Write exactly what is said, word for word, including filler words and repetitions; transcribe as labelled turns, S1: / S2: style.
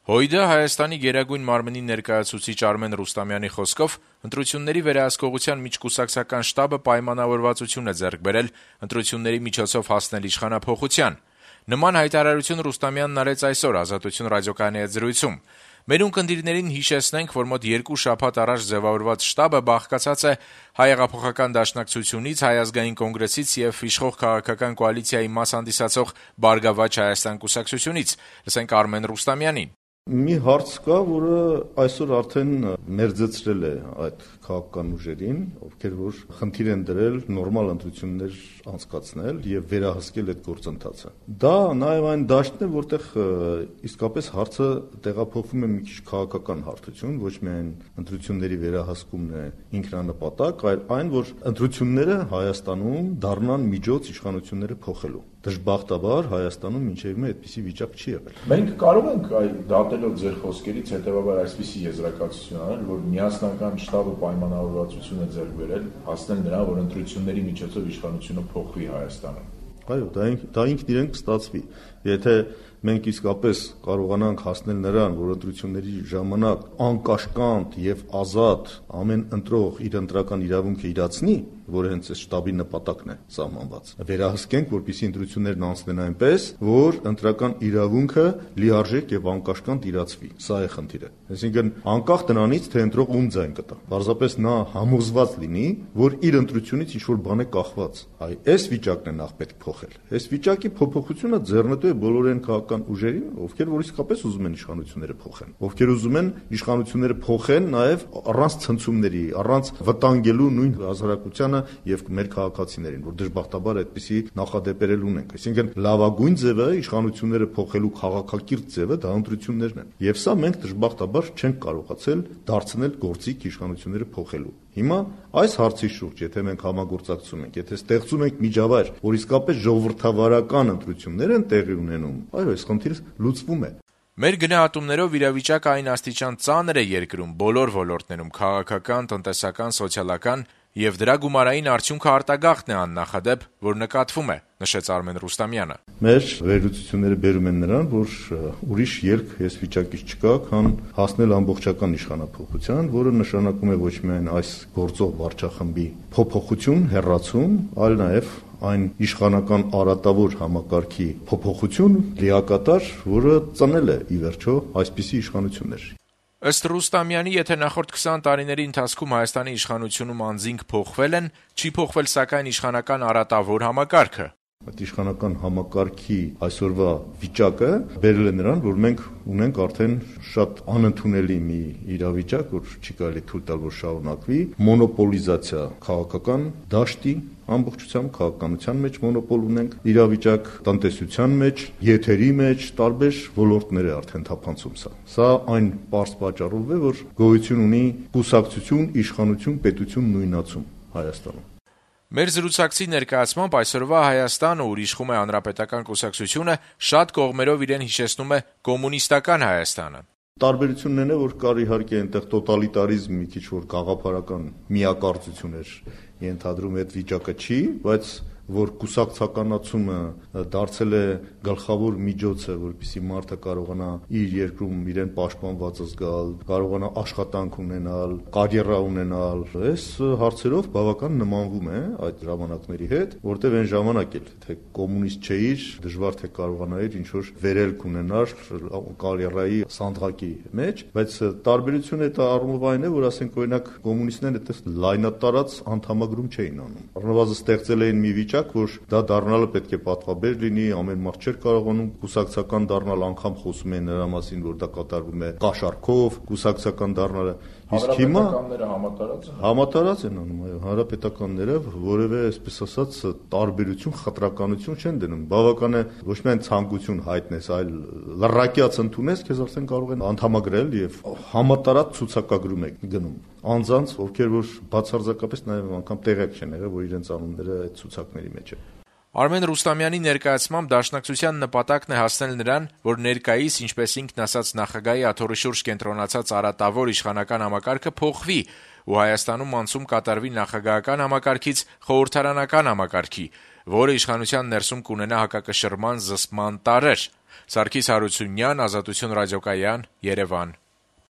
S1: ՀՅԴ Հայաստանի Գերագույն մարմնի ներկայացուցիչ Արմեն Ռուստամյանի խոսքով ընտրությունների վերահսկողության միջկուսակցական շտաբը պայմանավորվածություն է ձեռք բերել ընտրությունների միջոցով հասնել իշխանափոխության։ Նման հայտարարություն Ռուստամյանն արեց այսօր Ազատություն ռադիոկայանի հետ զրույցում։ Մեր ունկնդիրներին հիշեցնենք, որ մոտ երկու շաբաթ առաջ ձևավորված շտաբը բաղկացած է Հայ հեղափոխական դաշնակցությունից, Հայ ազգային կոնգրեսից եւ իշխող քաղաքական կոալիցիայի մաս հանդիսացող Բարգավաճ Հայաստան կուսակցությունից։ Լսենք Արմեն Ռուստամյանին։
S2: Մի հարց կա, որը այսօր արդեն մերձեցրել է այդ քաղաքական ուժերին, ովքեր որ խնդիր են դրել նորմալ ընտրություններ անցկացնել եւ վերահսկել այդ գործընթացը։ Դա նաեւ այն դաշտն է, որտեղ իսկապես հարցը տեղափոխվում է մի քիչ քաղաքական հարթություն, ոչ միայն ընտրությունների վերահսկումն է ինքնանպատակ, այլ այն, որ ընտրությունները Հայաստանում դառնան միջոց իշխանությունները փոխելու։ Դժբախտաբար Հայաստանում մինչև հիմա այդպիսի վիճակ չի եղել։
S3: Մենք կարող ենք այ դատելով ձեր խոսքերից հետեւաբար այսպիսի եզրակացություն անել, որ միասնական շտաբը պայմանավորվածություն է ձեռք բերել հասնել նրան, որ ընտրությունների միջոցով իշխանությունը փոխվի Հայաստանում։
S2: Այո, դա դա ինքն իրեն կստացվի։ Եթե մենք իսկապես կարողանանք հասնել նրան, որ ընտրությունների ժամանակ անկաշկանդ եւ ազատ ամեն ընտրող իր ընտրական իրավունքը իրացնի, որը հենց այս շտաբի նպատակն է սահմանված։ Վերահսկենք, որպեսզի ընտրություններն անցնեն այնպես, որ ընտրական իրավունքը լիարժեք եւ անկաշկանդ իրացվի։ Սա է խնդիրը։ Այսինքն անկախ տնանից, թե ընտրող ում ձայն կտա։ Պարզապես նա համոզված լինի, որ իր ընտրությունից ինչ-որ բան է կախված։ Այ այս վիճակն է նախ պետք փոխել։ Այս վիճակի փոփոխությունը ձեռնտու է բոլոր այն քաղաքական ուժերին, ովքեր որ իսկապես ուզում են իշխանությունները փոխեն, ովքեր ուզում են իշխանությունները փոխեն նաեւ առանց ցնցումների, առանց վտանգելու նույն հասարակությանը եւ մեր քաղաքացիներին, որ դժբախտաբար այդպիսի նախադեպերել ունենք։ Այսինքն լավագույն ձևը իշխանությունները փոխելու քաղաքակիրթ ձևը դա ընտրություններն են։ Եվ սա մենք դժբախտաբար չենք կարողացել դարձնել գործիք իշխանությունները փոխելու։ Հիմա այս հարցի շուրջ, եթե մենք համագործակցում ենք, եթե ստեղծում ենք միջավայր, որ իսկապես ժողովրդավարական ընտրություններ են տեղի ունենում, այո, այս խնդիրը լուծվում է։
S1: Մեր գնահատումներով իրավիճակը այն աստիճան ծանր է երկրում բոլոր ոլորտներում՝ քաղաքական, տնտեսական, սոցիալական, եւ դրա գումարային արդյունքը արտագաղթն է աննախադեպ, որ նկատվում է, նշեց Արմեն Ռուստամյանը։
S2: Մեր վերլուծությունները բերում են նրան, որ ուրիշ ելք այս վիճակից չկա, քան հասնել ամբողջական իշխանափոխության, որը նշանակում է ոչ միայն այս գործող վարչախմբի փոփոխություն, հեռացում, այլ նաեւ այն իշխանական արատավոր համակարգի փոփոխություն լիակատար, որը ծնել է ի վերջո այսպիսի իշխանություններ։
S1: Ըստ Ռուստամյանի, եթե նախորդ քսան տարիների ընթացքում Հայաստանի իշխանությունում անձինք փոխվել են, չի փոխվել սակայն իշխանական արատավոր համակարգը։
S2: Այդ իշխանական համակարգի այսօրվա վիճակը բերել է նրան, որ մենք ունենք արդեն շատ անընդունելի մի իրավիճակ, որ չի կարելի թույլ տալ, որ շարունակվի, մոնոպոլիզացիա քաղաքական դաշտի ամբողջությամբ քաղաքականության մեջ մոնոպոլ ունենք, իրավիճակ տնտեսության մեջ, եթերի մեջ, տարբեր ոլորտներ է արդեն թափանցում սա։ Սա այն պարզ պատճառով է, որ գոյություն ունի կուսակցություն, իշխանություն, պետություն նույնացում Հայաստանում։
S1: Մեր զրուցակցի ներկայացմամբ այսօրվա Հայաստանը, ուր իշխում է Հանրապետական կուսակցությունը, շատ կողմերով իրեն հիշեցնում է կոմունիստական Հայաստանը։
S2: Տարբերությունն է, որ կար իհարկե այնտեղ տոտալիտարիզմ, մի քիչ որ գաղափարական միակարծություն էր ենթադրում, այդ վիճակը չի, բայց որ կուսակցականացումը դարձել է գլխավոր միջոցը, որպեսզի մարդը կարողանա իր երկրում իրեն պաշտպանված զգալ, կարողանա աշխատանք ունենալ, կարիերա ունենալ, այս հարցերով բավական նմանվում է այդ ժամանակների հետ, որտեղ այն ժամանակ էլ թե կոմունիստ չէիր, դժվար թե կարողանայիր ինչ-որ վերելք ունենալ կարիերայի սանդղակի մեջ, բայց տարբերությունը դա առումով այն է, որ ասենք օրինակ կոմունիստները այդպես լայնատարած անդամագրում չէին անում։ Առնվազն ստեղծել էին մի վիճակ, որ դա դառնալը պետք է պատվաբեր լինի, ամեն մարդ չէր կարողանում կուսակցական դառնալ, անգամ խոսում են նրա մասին, որ դա կատարվում է կաշառքով, կուսակցական դառնալը։ Իսկ հիմա
S3: հանրապետականները համատարած են։
S2: Համատարած են անում, այո, հանրապետականները որևէ, այսպես ասած, տարբերություն, խտրականություն չեն դնում։ Բավական է ոչ միայն ցանկություն հայտնես, այլ լրակյաց ընդունես, քեզ արդեն կարող են անդամագրել եւ համատարած ցուցակագրում եք գնում։ Անձանց, ովքեր որ բացարձակապես նաեւ անգամ տեղյակ չեն եղել, որ իրենց անունները այդ ցուցակների մեջ է։
S1: Արմեն Ռուստամյանի ներկայացմամբ դաշնակցության նպատակն է հասնել նրան, որ ներկայիս, ինչպես ինքն ասաց, նախագահի աթոռի շուրջ կենտրոնացած արատավոր իշխանական համակարգը փոխվի ու Հայաստանում անցում կատարվի նախագահական համակարգից խորհրդարանական համակարգի, որը իշխանության ներսում կունենա հակակշռման զսպման տարրեր։ Սարգիս Հարությունյան, Ազատություն ռադիոկայան, Երևան։